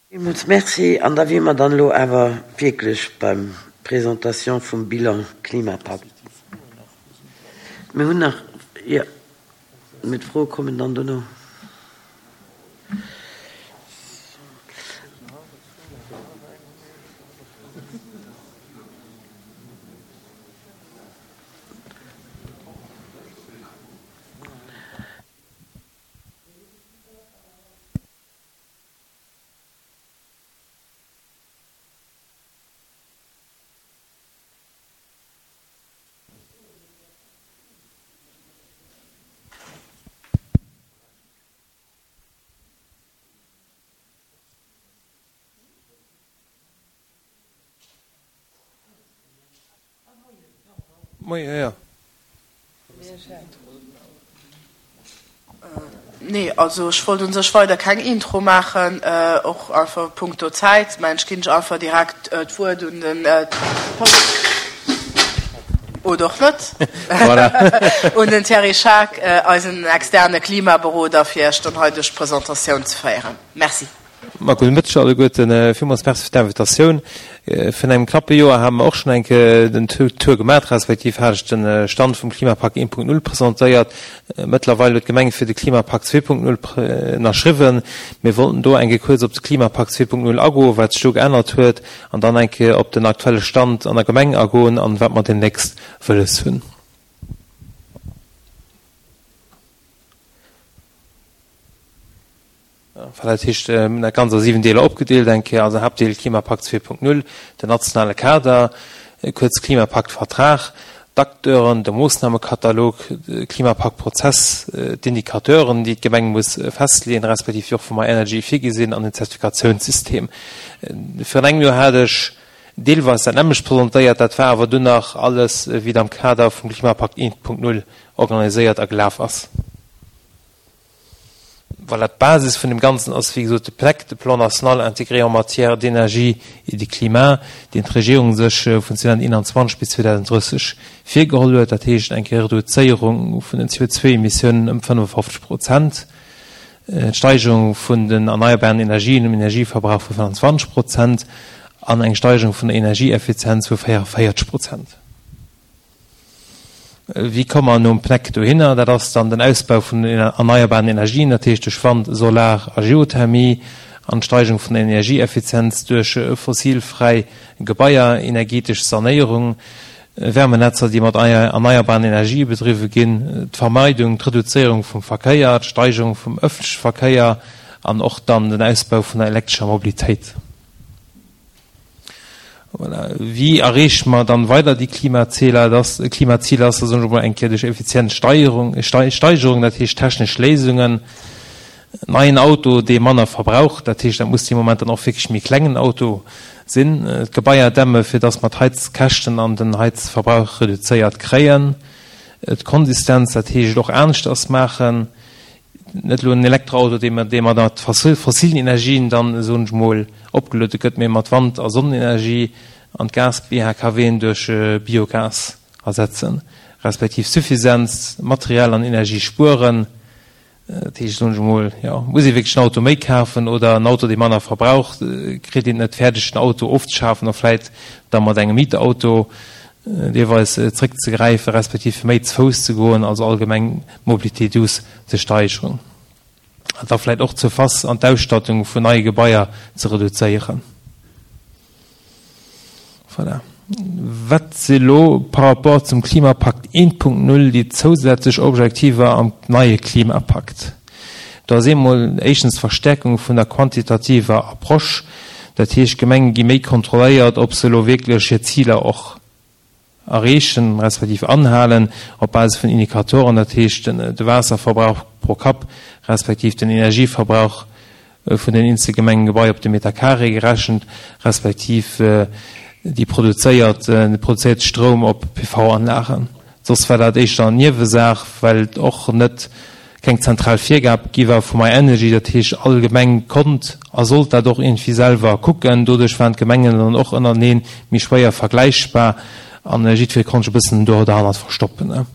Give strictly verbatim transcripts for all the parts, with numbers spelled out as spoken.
Villmools Merci. An da wier mer dann elo awer wierklech beim Presentation vum Bilan Klimapakt. Mir hunn nach, jo, mee d'Froe kommen dann dono. Moien, jo, jo. Nee, also ech wollt un sech weider keng Intro maachen, och einfach punkto Zäit. Mä ech ginn lech einfach direkt d'Wuert un den Paul, oder och net, un den Thierry Schaack, eisen externe Klimaberoder, fir Iech dann hei duerch d'Presentatioun ze féieren. Merci. Ma gudde Mëtteg alleguerten. Villmools Merci fir d'Invitatioun. Virun engem knappe Joer hate mer och schonn eng Kéier den Tour gemaach, respektiv hat ech de Stand vum Klimapakt een Punkt null presentéiert. Mëttlerweil huet d'Gemeng fir de Klimapakt zwee Punkt null ënnerschriwwen. Mir wollten do eng Kéier kuerz op de Klimapakt zwee Punkt null agoen, wat sech do geännert huet, an dann eng Kéier op den aktuelle Stand an der Gemeng agoen an wat mer deemnächst wëlles hunn. Enfin, dat heescht, mir hunn dat Ganzt a siwen Deeler opgedeelt. Eng Kéier also Haaptdeel Klimapakt zwee Punkt null, den nationale Kader, kuerz Klimapaktvertrag, d'Acteuren, de Moossnamekatalog, de Klimapaktprozess, d'Indicateuren, déi d'Gemeng muss festleeën, respektiv déi och vum MyEnergy virgi sinn, an den Zertifikatiounssystem. Virun engem Joer hat ech deelweis dat nämmlecht presentéiert, dat war awer dunn nach alles, wéi et am Kader vum Klimapakt eent Punkt null organiséiert a gelaf ass. Voilà, d'Basis vun dem Ganzen ass, wéi gesot, de PNEC, de Plan national intégré en matière d'énergie et de climat, deen d'Regierung sech vun zweedausendeenanzwanzeg bis zweedausenddrësseg virgeholl huet. Dat heescht eng Reduzéierung vun den C O zwei Emissiounen ëm fënnefofzeg Prozent, d'Steigerung vun den erneierbaren Energien um Energieverbrauch vu fënnfanzwanzeg Prozent an eng Steigerung vun der Energieeffizienz vu véierundvéierzeg Prozent. Wéi komme mer nom PNEC dohinner? Dat ass dann den Ausbau vun den erneierbaren Energien, dat heescht duerch Wand, Solar a Geothermie, an d'Steigerung vun der Energieeffizienz duerch fossilfräi Gebaier, energetesch Sanéierung, Wärmenetzer, déi mat erneierbaren Energië bedriwwe ginn, d'Vermeidung, d'Reduzéierung vum Verkéier, d'Steigerung vum ëffentleche Verkéier an och dann den Ausbau vun der elektrescher Mobilitéit. Voilà. Wéi erreeche mer dann weider déi Klimaziler? Das Klimaziel ass, soen ech emol eng Kéier, duerch effizient Steierung, Steigerung, dat heescht technesch Léisungen, neien Auto, dee manner verbraucht, dat heescht, dat muss dee Moment dann och wierklech méi klengen Auto sinn, d'Gebaier dämme fir dass mer d'Heizkäschten an den Heizverbrauch reduzéiert kréien, d'Konsistenz, dat heescht och aneschters maachen, net elo en Elektroauto, dee mat, dee mat fossilen Energien dann, soen ech mol, opgeluede gëtt, mee mat Wand a Sonnenenergie, an d'Gas-B H K W'en duerch Biogas ersetzen, respektiv Suffisanz, Material an Energie spueren. Dat heescht, soen ech mol, jo, muss ee wierklech en Auto méi kafen oder en Auto, dee manner verbraucht, kritt een et net fäerdeg, den Auto ofzeschafen a vläit da mat engem Mietauto deelweis zréckzegräifen, respektiv fir méi ze Fouss ze goen, also allgemeng d'Mobilité douce ze steigeren. An da vläit och d'Surface an d'Ausstattung vun neie Gebaier ze reduzéieren. Voilà. Wat si lo par rapport zum Klimapakt eent Punkt null déi zousätzlech Objektiver am neie Klimapakt? Do ass eemol éischtens d'Verstärkung vun der quantitativer Approche. Dat heescht, d'Gemenge gi méi kontrolléiert, ob se elo wierklech hir Ziler och erreechen, respektiv anhalen, op Basis vun Indikatoren, dat heescht de Waasserverbrauch pro Kapp, respektiv den Energieverbrauch vun den eenzele Gemengegebaier op de Meter carré gerechent, respektiv déi produzéiert, de produzéierte Stroum op P V-Anlagen. Soss war dat éischter Niewesaach, well et och net keng zentral Virgab gi war vu MyEnergy, dat heescht all Gemeng konnt a sollt dat och irgendwie selwer kucken. Doduerch waren d'Gemengen dann och ënnerteneen méi schwéier vergläichbar an jiddweree konnt sech e bëssen do derhannert verstoppen.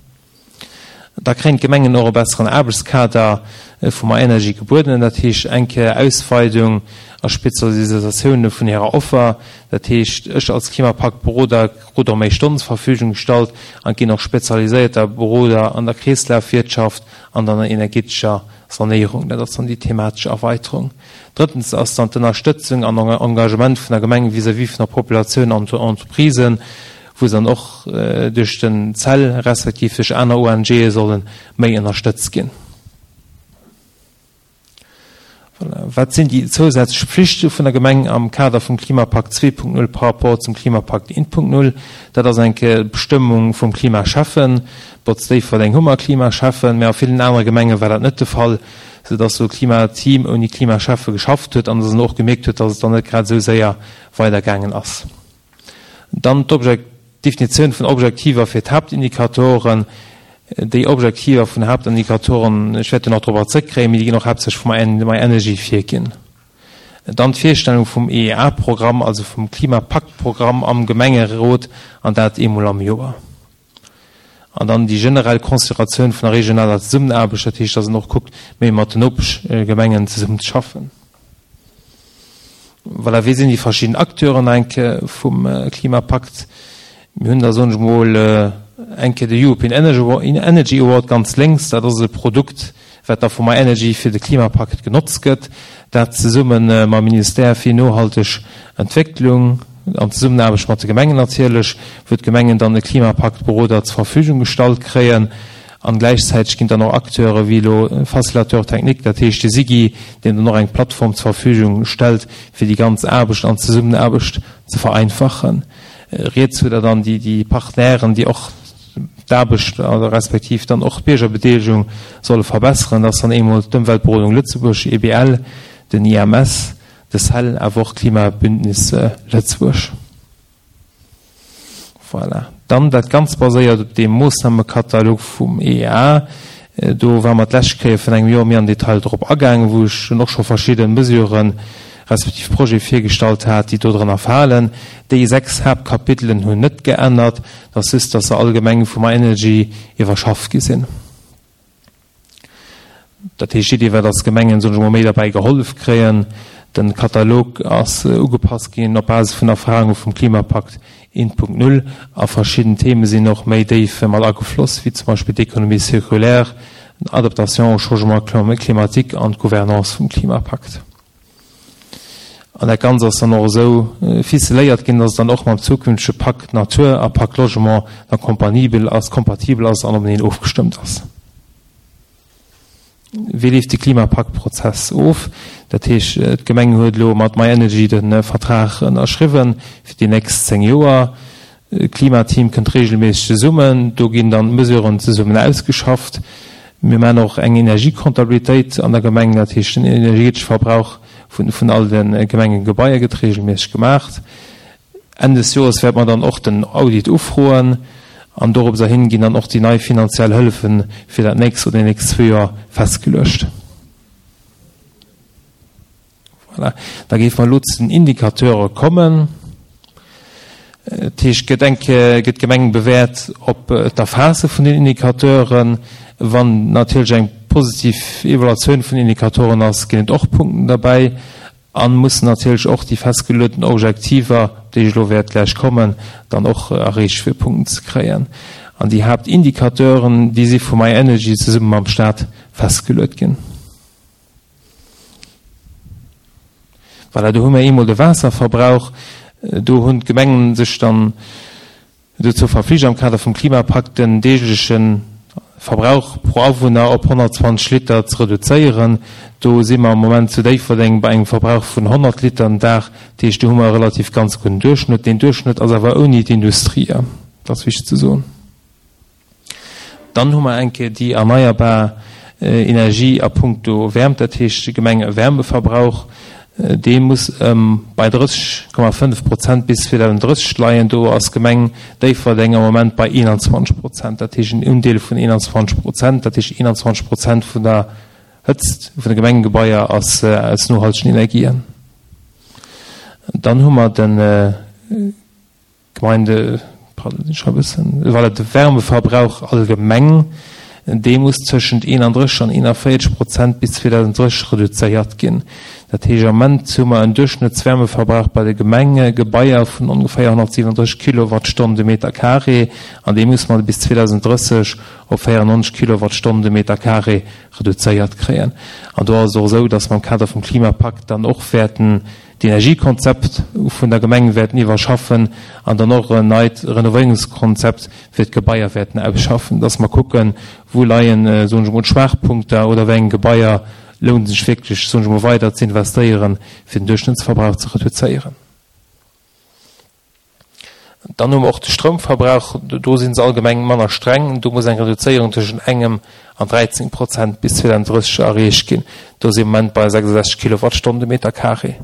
Da kréien d'Gemengen och e besseren Aarbechtskader vu myenergy gebueden, dat heescht eng Kéier Ausweidung a Spezialisatioune vun hirer Offer. Dat heescht, ech als Klimapaktberoder krut och méi Stonnen zur Verfügung gestallt an et ginn och spezialiséierter Beroder an der Kreeslafwirtschaft an an der energetescher Sanéierung. Dat ass dann déi thematesch Erweiterung. Drëttens ass dann d'Ënnerstëtzung an Engagement vun der Gemeng vis-à-vis vun der Populatioun an den Entreprisen, wou se dann och duerch den cell respektiv duerch aner ONGe solle méi ënnerstëtzt ginn. Voilà. Wat sinn déi zousätzlech Pflichte vun der Gemeng am Kader vum Klimapakt zwee Punkt null par rapport zum Klimapakt eent Punkt null? Dat ass eng Kéier d'Bestëmmung vum Klimaschäffen. Trotz Déifferdeng hu mer Klimaschäffen, mä a villen anere Gemenge war dat net de Fall, soudass do e Klimateam ouni Klimaschäffe geschafft huet an dass en och gemierkt huet, dass et dann net grad esou séier weidergaangen ass. Dann d'Definitioun vun Objektiver fir d'Haaptindikatoren. Déi Objektiver vun Haaptindikatoren, ech wäert do nach dorobber zrëckkréien, mee déi ginn och haaptsächlech vu myenergy virginn. Dann d'Virstellung vum E E A-Programm, also vum Klimapaktprogramm am Gemengerot, an dat eemol am Joer. An dann déi generell Consideratioun vun der regionaler Zesummenaarbecht, dat heescht, dass een och kuckt, méi mat den Nopeschgemengen zesummenzeschaffen. Voilà, wéi sinn déi verschidden Acteuren eng Kéier vum Klimapakt? Mir hunn da, soen ech emol, eng Kéier de European Energy Award ganz lénks. Dat ass e Produkt, wat da vu myenergy fir de Klimapakt genotzt gëtt, dat zesumme mam Ministère fir nohalteg Entwécklung an Zesummenaarbecht mat de Gemengen natierlech, wou d'Gemengen dann e Klimapaktberoder zur Verfügung gestallt kréien. An gläichzäiteg ginn dann och Acteure wéi elo Facilitateur technique, dat heescht de SIGI, deen dann och eng Plattform zur Verfügung stellt, fir déi ganz Aarbecht an Zesummenaarbecht ze vereinfachen. Riets hutt Der dann déi Partenairen, déi och d'Aarbecht respektiv dann och d'Biergerbedeelegung solle verbesseren. Dat ass dann eemol d'Ëmweltberodung Lëtzebuerg, E B L, den I M S, de cell, awer och d'Klimabündnis Lëtzebuerg. Voilà. Dann dat Ganzt baséiert op deem Moossnamekatalog vum E E A. Do ware mer d'lescht Kéier vun engem Joer méi am Detail drop agaangen, wou ech dunn och scho verschidde Mesuren respektiv Projete virgestallt hat, déi dodrënner falen. Déi sechs Haaptkapitelen hunn net geännert, dat ass just, dass se allgemeng vu myenergy iwwerschafft gi sinn. Dat heescht, d'Iddi war, dass d'Gemengen, soen ech emol, méi derbäi gehollef kréien. Den Katalog ass ugepasst ginn op Basis vun Erfahrunge vum Klimapakt eent Punkt null a verschidden Theme sinn och méi déif mat agefloss, wéi zum Beispill d'Économie circulaire, d'Adaptation au changement climatique an d'Gouvernance vum Klimapakt. An dat Ganzt ass dann och esou ficeléiert ginn, dass et dann och mam zukünftege Pakt Natur a Pakt Logement da kompanibel ass, kompatibel ass an openeen ofgestëmmt ass. Wéi leeft de Klimapaktprozess of? Dat heescht, d'Gemeng huet elo mat myenergy de Vertrag ënnerschriwwen fir déi nächst zéng Joer. D'Klimateam kënnt reegelméisseg zesummen, do ginn dann d'Mesuren zesummen ausgeschafft. Mir maachen och eng Energiekontabilitéit an der Gemeng, dat heescht den energetesche Verbrauch vun all de Gemengegebaier gëtt reegelméisseg gemaach. Enn des Joers wäerte mer dann och den Audit ufroen an doropserhin ginn dann och déi nei finanziell Hëllefe fir dat nächst oder déi nächst zwee Joer festgeluecht. Voilà. Da géife mer elo zu den Indicateure kommen. Dat heescht, gëtt eng Kéier, gëtt d'Gemeng bewäert op d'Erfaasse vun den Indicateuren. Wann natierlech eng positiv Evaluatioun vun Indicatoren ass, ginn et och Punkten derbäi. A mussen natierlech och déi festgelueden Objektiver, op déi ech elo wäert gläich kommen, dann och erreecht fir Punkten ze kréien. An déi Haaptindicateuren, déi si vu myenergy zesumme mam Stat festgeluet ginn. Voilà, do hu mir eemol de Waasserverbrauch. Do hunn d'Gemengen sech dann dozou verflicht, am Kader vum Klimapakt den deegleche Verbrauch pro Awunner op honnertzwanzeg Liter ze reduzéieren. Do si mer am Moment zu Déifferdeng bei engem Verbrauch vun honnert Liter den Dag. Dat heescht, do hu mer e relativ ganz gudden Duerchschnëtt. Deen Duerchschnëtt ass awer ouni d'Industrie, dat ass wichteg ze soen. Dann hu mer eng Kéier déi erneierbar Energie a puncto Wäermt, dat heescht de Gemengewärmeverbrauch. Dee muss bei drësseg Komma fënnef Prozent bis zweedausenddrësseg leien. Do ass d'Gemeng Déifferdeng am Moment bei eenanzwanzeg Prozent, dat heescht en Undeel vun eenanzwanzeg Prozent. Dat heescht eenanzwanzeg Prozent vun der Hëtzt vun de Gemengegebaier ass aus nohaltegen Energien. Dann hu mer de Gemeinde, pardon, ech schreiwe e bëssen, voilà, de Wärmeverbrauch allgemeng. Dee muss tëschent eenandrësseg an eenanvéierzeg Prozent bis zweedausenddrësseg reduzéiert ginn. Dat heescht, am Ament hu mer en Duerchschnëttswärmeverbrauch bei de Gemengegebaier vun ongeféier honnertsiwwendrësseg Kilowattstonnen de Meter carré an dee muss mer bis zweedausenddrësseg op véierennonzeg Kilowattstonnen de Meter carré reduzéiert kréien. An do ass et och esou, dass mer am Kader vum Klimapakt dann och wäerten d'Energiekonzept vun der Gemeng wäerten iwwerschaffen an dann och en neit Renovéierungskonzept fir d'Gebaier wäerten ausschaffen, dass mer kucken, wou leien, soen ech emol, d'Schwaachpunkter oder wéi eng Gebaier lount et sech wierklech, soen ech emol, weider ze investéieren, fir den Duerchschnëttsverbrauch ze reduzéieren. Dann hu mer och de Stroumverbrauch. Do si se allgemeng manner streng. Do muss eng Reduzéierung tëschent engem an dräizéng Prozent bis zweedausenddrësseg erreecht ginn. Do si mer am Moment bei sechsundsechzeg Kilowattstonnen de Meter carré.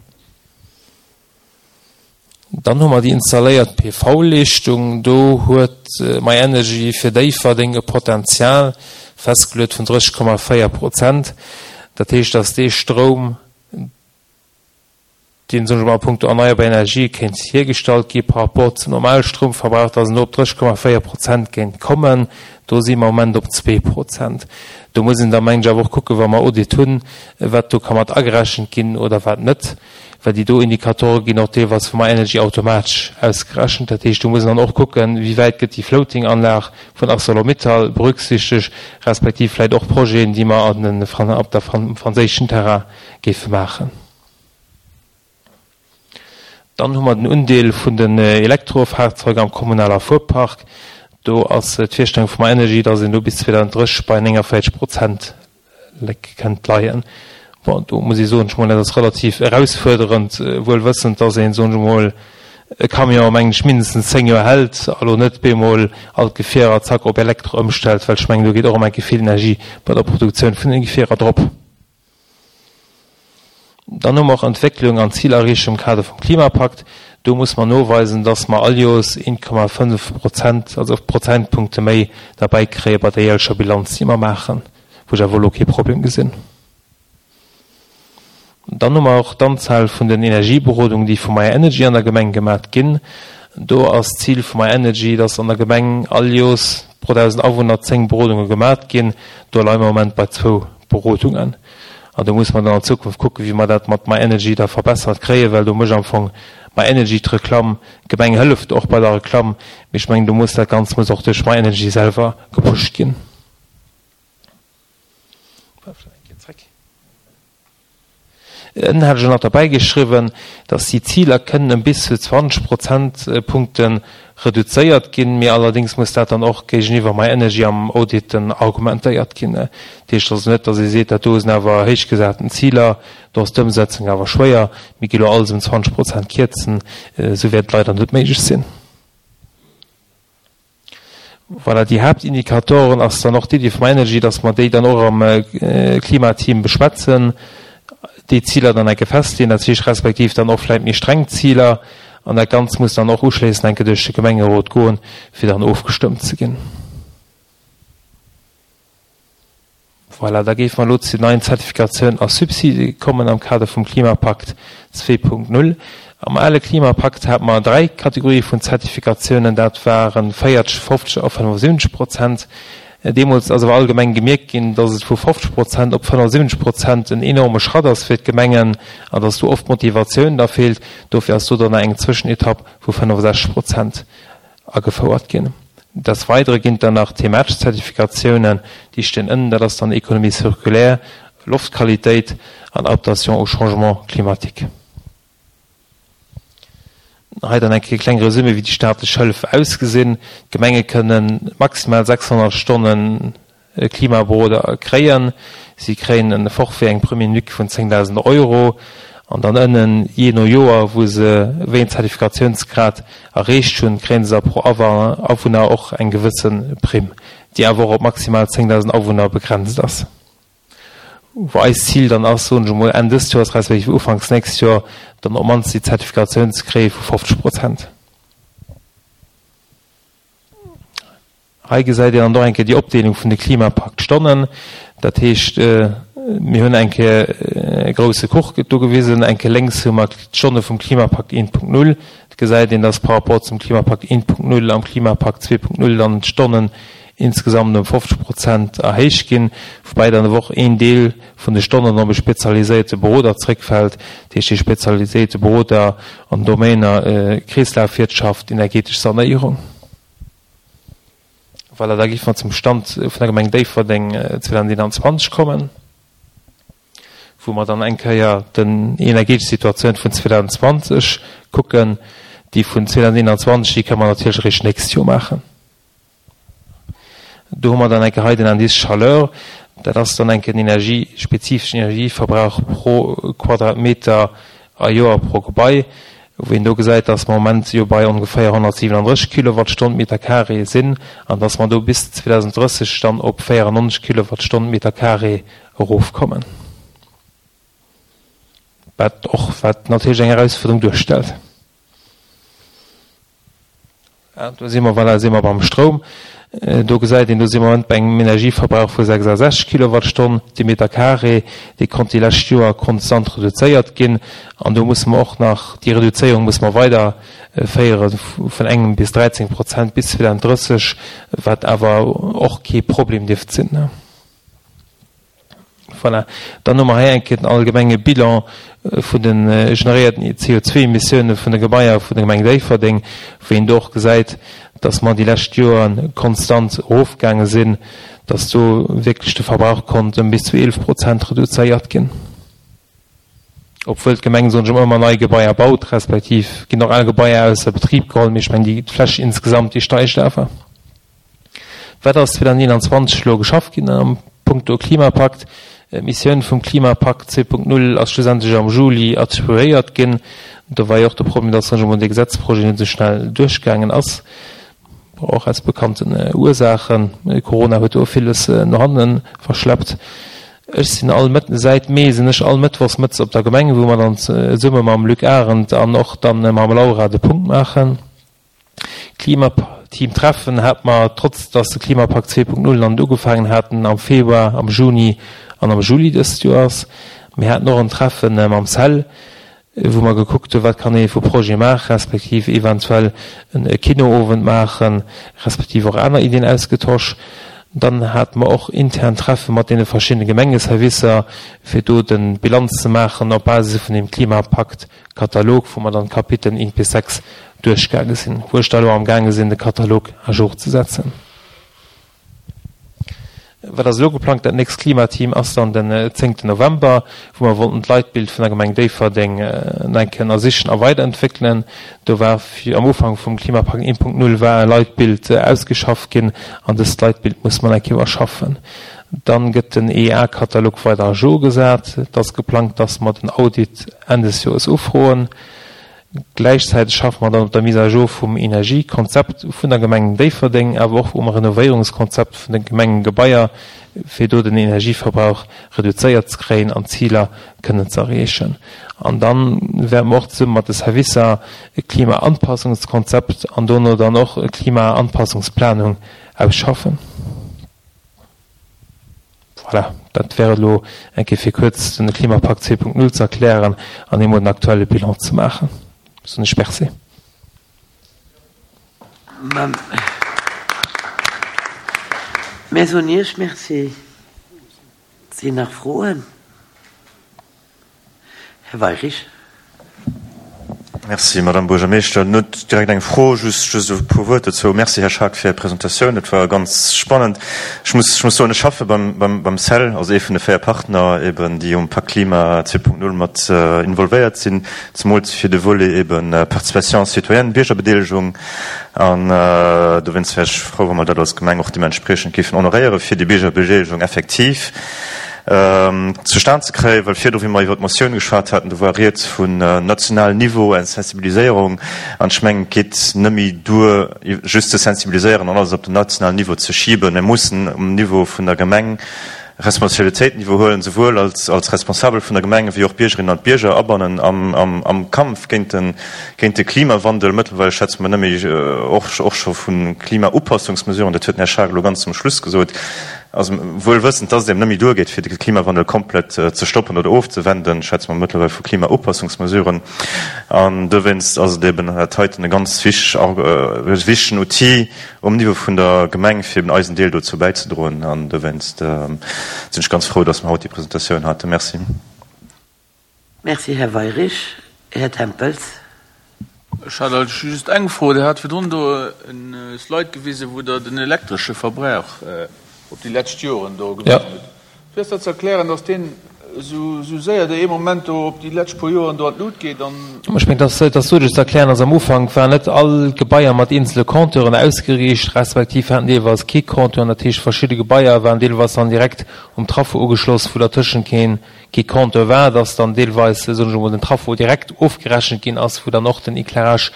Dann hu mer déi installéiert P V-Leeschtung. Do huet myenergy fir Déifferdeng e Potenzial festgeluet vun drësseg Komma véier Prozent. Dat heescht, dass dee Stroum, deen, soen ech mol, a puncto erneierbar Energie kéint hiergestallt gi par rapport zum normale Stroumverbrauch, dass en do op drësseg Komma véier Prozent kéint kommen. Do si mer am Moment op zwee Prozent. Do muss een da, mengen ech, awer och kucken, wa mer Audit hunn, wat do ka mat agerechent ginn oder wat net, well déi do Indikatore ginn och deelweis vu myenergy automatesch ausgerechent. Dat heescht, do muss een dann och kucken, wéi wäit gëtt déi Floating-Anlag vun ArcelorMittal berücksichtegt, respektiv vläicht och Projeten, déi mer an den, op der, am franséischen Terrain géife maachen. Dann hu mer den Undeel vun den Elektrofahrzeuger am kommunaler Fuerpark. Do ass d'Virstellung vu myenergy, dass een do bis zweedausenddrësseg bei nénganvéierzeg Prozent kënnt leien. Bon, do muss ee soen, ech mol, dat ass relativ erausfuerderend, wuel wëssend, dass een, soen ech emol, e Camion, mengen ech, mindestens zéng Joer hält a lo net bemol all d'Gefierer zack op Elektro ëmstellt, well ech mengen, do geet och ëmmer enke vill Energie bei der Produktioun vun den Gefierer drop. Dann hu mer och Entwécklung an Zilerreechung am Kader vum Klimapakt. Do muss mer noweisen, dass mer all Joers een Komma fënnef Prozent, also Prozentpunkte méi derbäi kréie bei der jährlecher Bilanz, déi mer maachen, wou ech awer elo kee Problem gesinn. Dann hu mer och d'Anzahl vun den Energieberodungen, déi vu myenergy an der Gemeng gemat ginn. Do ass d'Zil vu myenergy, dass an der Gemeng all Joers pro dausend Awunner zéng Berodunge gemat ginn. Do leie mer am Moment bei zwou Berodungen. An do muss mer dann an Zukunft kucken, wéi mer dat mat myenergy da verbessert kréien, well do mécht am Fong myenergy d'Reklamm. D'Gemeng hëlleft och bei der Reklamm, mee ech mengen, do muss dat Ganzt muss och duerch myenergy selwer gepusht ginn. Ënnen hat ech och nach derbäi geschriwwen, dass déi Ziler kënnen ëm bis zu zwanzeg Prozentpunkte reduzéiert ginn, mee allerdéngs muss dat dann och géigeniwwer myenergy am Audit dann argumentéiert ginn. Dat heescht also net, dass ee seet, dat do sinn awer héichgesaten Ziler, do ass d'Ëmsetzung awer schwéier, mir gi lo alles ëm zwanzeg Prozent kierzen. Esou wäert et leider net méiglech sinn. Voilà, déi Haaptindikatoren ass dann och d'Iddi vum myenergy, dass mer déi dann och am Klimateam beschwätzen, déi Ziler dann enke festleeën, dat heescht respektiv dann och vläicht méi streng Ziler, an dat Ganzt muss dann och uschléissend enke duerch de Gemengerot goen, fir dann ofgestëmmt ze ginn. Voilà, da géife mer elo zu den neien Zertifikatiounen a Subside kommen am Kader vum Klimapakt zwee Punkt null. Am ale Klimapakt hate mer dräi Kategorië vun Zertifikatiounen, dat waren véierzeg, fofzeg a fënnefensiwwenzeg Prozent. Deemools ass awer allgemeng gemierkt ginn, dass et vu fofzeg Prozent op fënnefensiwwenzeg Prozent en enorme Schratt ass fir d'Gemengen an dass do oft d'Motivatioun da feelt. Dofir ass do dann eng Zwëschenetapp vu fënnefensechzeg Prozent agefouert ginn. Des Weidere ginn et dann nach thematesch Zertifikatiounen, déi stinn ënnen, dat ass dann Économie circulaire, Loftqualitéit an Adaptation au changement climatique. Hei dann eng Kéier e kleng Resumé, wéi déi staatlech Hëllef ausgesinn. D'Gemenge kënnen maximal sechshonnert Stonne Klimaberoder kréien. Si kréien e Forfait, eng Prime unique vun zéngdausend Euro. An dann ënnen, jee no Joer, wou se wéi en Zertifikatiounsgrad erreecht hunn, kréien se da pro Awunner och eng gewësse Primm, déi awer och op maximal zéngdausend Awunner begrenzt ass. Wou eist Zil dann ass, soen ech emol, Enn dëst Joers respektiv ufanks nächst Joer dann op d'mannst déi Zertifikatioun ze kréie vu fofzeg Prozent. Hei gesäit een dann och eng Kéier déi Opdeelung vun de Klimapakt-Stonnen. Dat heescht, mir hunn eng Kéier e grousse Kuch do gewisen. Eng Kéier lénks hu mer d'Stonne vum Klimapakt eent Punkt null. Et gesäit een, dass par rapport zum Klimapakt eent Punkt null am Klimapakt zwee Punkt null dann d'Stonnen insgesamt ëm fofzeg Prozent erhéicht ginn, woubäi dann awer och een Deel vun de Stonnen op e spezialiséierte Beroder zréckfält, dat heescht dee spezialiséierte Beroder an Domainer Kreeslafwirtschaft, energetesch Sanéierung. Voilà, da géife mer zum Stand vun der Gemeng Déifferdeng zweedausendeenanzwanzeg kommen, wou mer dann eng Kéier den energetesch Situatioun vun zweedausendzwanzeg kucken. Déi vun zweedausendeenanzwanzeg, déi kënne mer natierlech eréischt d'nächst Joer maachen. Do hu mer dann eng Kéier hei den Indice Chaleur. Dat ass dann eng Kéier den Energie, spezifeschen Energieverbrauch pro Quadratmeter a Joer pro Gebai, wou een do gesäit, dass mer am Moment jo bei ongeféier honnertsiwenandrësseg Kilowattstonn Meter carré sinn an dass mer do bis zweedausenddrësseg dann op véierannonzeg Kilowattstonn Meter carré erofkommen. Wat och, wat natierlech eng Erausfuerderung duerstellt. Do si mer, voilà, si mer beim Stroum. Do gesäit een, do si mer am Moment bei engem Energieverbrauch vu sechsasechzeg Kilowattstonn de Meter carré. Dee konnt déi lescht Joer konstant reduzéiert ginn. An do musse mer och nach, déi Reduzéierung musse mer weiderféiere vun engem bis dräizéng Prozent bis zweedausenddrësseg, wat awer och kee Problem dierft sinn. Voilà. Dann hu mer hei eng Kéier den allgemenge Bilan vun de generéierten C O zwei Emissioune vun de Gebaier vun der Gemeng Déifferdeng, wou een do och gesäit, dass mer déi lescht Joer konstant erofgaange sinn, dass do wierklech de Verbrauch konnt ëm bis zu eelef Prozent reduzéiert ginn. Obwuel d'Gemeng, soen ech emol, ëmmer nei Gebaier baut, respektiv ginn och al Gebaier ausser Betrib geholl, mee ech mengen, déi Fläch insgesamt, déi steigt awer. Wat ass zweedausendeenanzwanzeg elo geschafft ginn am punkto Klimapakt? D'Missioun vum Klimapakt zwee Punkt null ass schlussendlech am Juli attribuéiert ginn. Do war jo och de Problem, dass sech emol dee Gesetzprojet net esou schnell duerchgaangen ass, och aus bekannten Ursaachen. Corona huet do villes no hanne verschleppt. Ech sinn all Mëtt, säit Mee sinn ech all Mëttwochs mëttes op der Gemeng, wou mer dann zesumme mam Luc Arendt an och dann mam Laura de Punkt maachen. Klimateam-Treffen hat mer, trotz dass de Klimapakt zwee Punkt null nach net ugefaangen haten, am Februar, am Juni an am Juli dëst Joers. Mir haten och en Treffen mam CEL, wou mer gekuckt hunn, wat kann ee vu Projet maachen, respektiv eventuell e Kinoowend maachen, respektiv och aner Iddien ausgetosch. Dann hate mer och intern Treffe mat deene verschiddene Gemengeservicer, fir do de Bilanz ze maachen op Basis vun deem Klimapakt-Katalog, wou mer dann d'Kapiteln eent bis sechs duerchgaange sinn, wou ech da elo amgaange sinn, de Katalog à jour ze setzen. Wat ass elo geplangt? Dat nächst Klimateam ass dann den zéngten November, wou mer wollten d'Leitbild vun der Gemeng Déifferdeng nach eng Kéier ënnersichen a weiderentwéckelen. Do war am Ufank vum Klimapakt eent Punkt null war e Leitbild ausgeschafft ginn an dëst Leitbild muss mer nach eng Kéier iwwerschaffen. Dann gëtt den E A-Katalog weider à jour gesat. Et ass geplangt, dass mer den Audit Enn des Joers ufroen. Gläichzäiteg schaffe mer dann op der Mise à jour vum Energiekonzept vun der Gemeng Déifferdeng, awer och um Renovéierungskonzept vun de Gemengegebaier, fir do den Energieverbrauch reduzéiert ze kréien an d'Ziler kënnen ze erreechen. An dann wäerte mer och zesumme mat de Servicer e Klimaanpassungskonzept an dono dann och e Klimaanpassungsplanung ausschaffen. Voilà, dat wär et elo eng Kéier fir kuerz den Klimapakt zwee Punkt null ze erklären an eemol den aktuelle Bilan ze maachen. Soen ech Merci. Mir soen Iech Merci. Sinn nach Froen? Här Weirich. Merci, Madame Buergermeeschter. Net direkt eng Fro, just, just e puer Wuert dozou. Merci, Här Schaack, fir Är Presentatioun. Dat war ganz spannend. Ech muss, ech muss soen, ech schaffe beim, beim, beim CEL, also ee vun de véier Partner eben, déi um Pakt Klima zwee Punkt null mat involvéiert sinn, zemools fir de Volet eben Participation citoyenne, Biergerbedeelegung. An dowéinst wär ech frou, wa mer dat als Gemeng och deementspriechend géifen honoréieren, fir déi Biergerbedeelegung effektiv zustan ze kréien, well virdru, wéi mer iwwer d'Motioun geschwat haten, do war rieds vun nationalem Niveau eng Sensibiliséierung, an ech mengen, et geet net méi duer, just ze sensibiliséieren an alles op den nationalen Niveau ze schiben. Mir mussen um Niveau vun der Gemeng Responsabilitéiten iwwerhuelen, souwuel als, als Responsabel vun der Gemeng wéi och d'Biergerinnen an d'Bierger abannen am, am, am Kampf géint den, géint de Klimawandel. Mëttlerweil schwätze mer net méi, och, och scho vu Klimaupassungsmesuren, dat huet den Här Schaack elo ganz zum Schluss gesot. Also wuel wëssend, dass et eben net méi duergeet, fir de Klimawandel komplett ze stoppen oder ofzewenden, schwätze mer mëttlerweil vu Klimaupassungsmesuren. An dowéinst ass et eben dat heiten e ganz wichtegen Outil um Niveau vun der Gemeng, fir eben eisen Deel dozou bäizedroen. An dowéinst sinn ech ganz frou, dass mer haut déi Presentatioun haten. Merci. Merci, Här Weyrich. Här Tempels. Ech hat eigentlech just eng Fro. Dir hat virdrun do e Slide gewisen, wou Der den elektresche Verbrauch op déi lescht Joren do gewisen hutt. Wéi ass dat ze erklären, dass deen esou séier do ee Moment do op déi lescht puer Joren do an d'Lut geet an. Ech mengen, dat ass doduerch ze erklären, dass am Ufank waren net all d'Gebaier mat eenzele Compteuren ausgeriicht, respektiv haten deelweis kee Compteur. Dat heescht, verschidde Gebaier waren deelweis dann direkt um Traffo ugeschloss, wou dertëschent keen kee Compteur war, dass dann deelweis, soen ech emol, den Traffo direkt ofgerechent ginn ass, wou dann och den Éclairage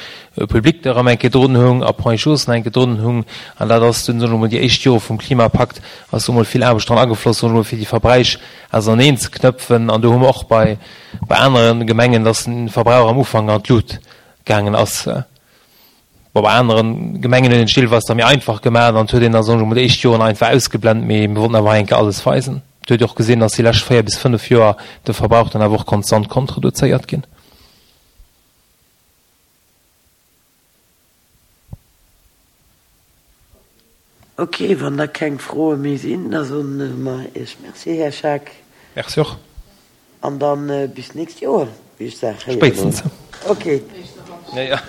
public erëm eng Kéier drun hung a Point Chausse nach eng Kéier drun hung. An dat ass dunn, soen ech emol, déi éischt Jore vum Klimapakt ass do emol vill Aarbecht dran agefloss, soen ech emol, fir déi Verbräich auserneen ze knëpfen. An do hu mer och bei bei anere Gemengen, dass den Verbrauch am Ufank an d'Lut gaangen ass. Bon, bei anere Gemengen huet een et deelweis da méi einfach gemaach an et huet een da, soen ech emol, déi éischt Joren einfach ausgeblent, mee mir wollten awer hei eng Kéier alles weisen. Et huet ee och gesinn, dass déi lescht véier bis fënnef Joer de Verbrauch dann awer och konstant konnt reduzéiert ginn. Ok, wann da keng Froe méi sinn, da soen mer Iech Merci, Här Schaack. Merci och. An dann bis d'nächst Joer, wéi ech sag. Spéitstens. Ok. Ja, ja.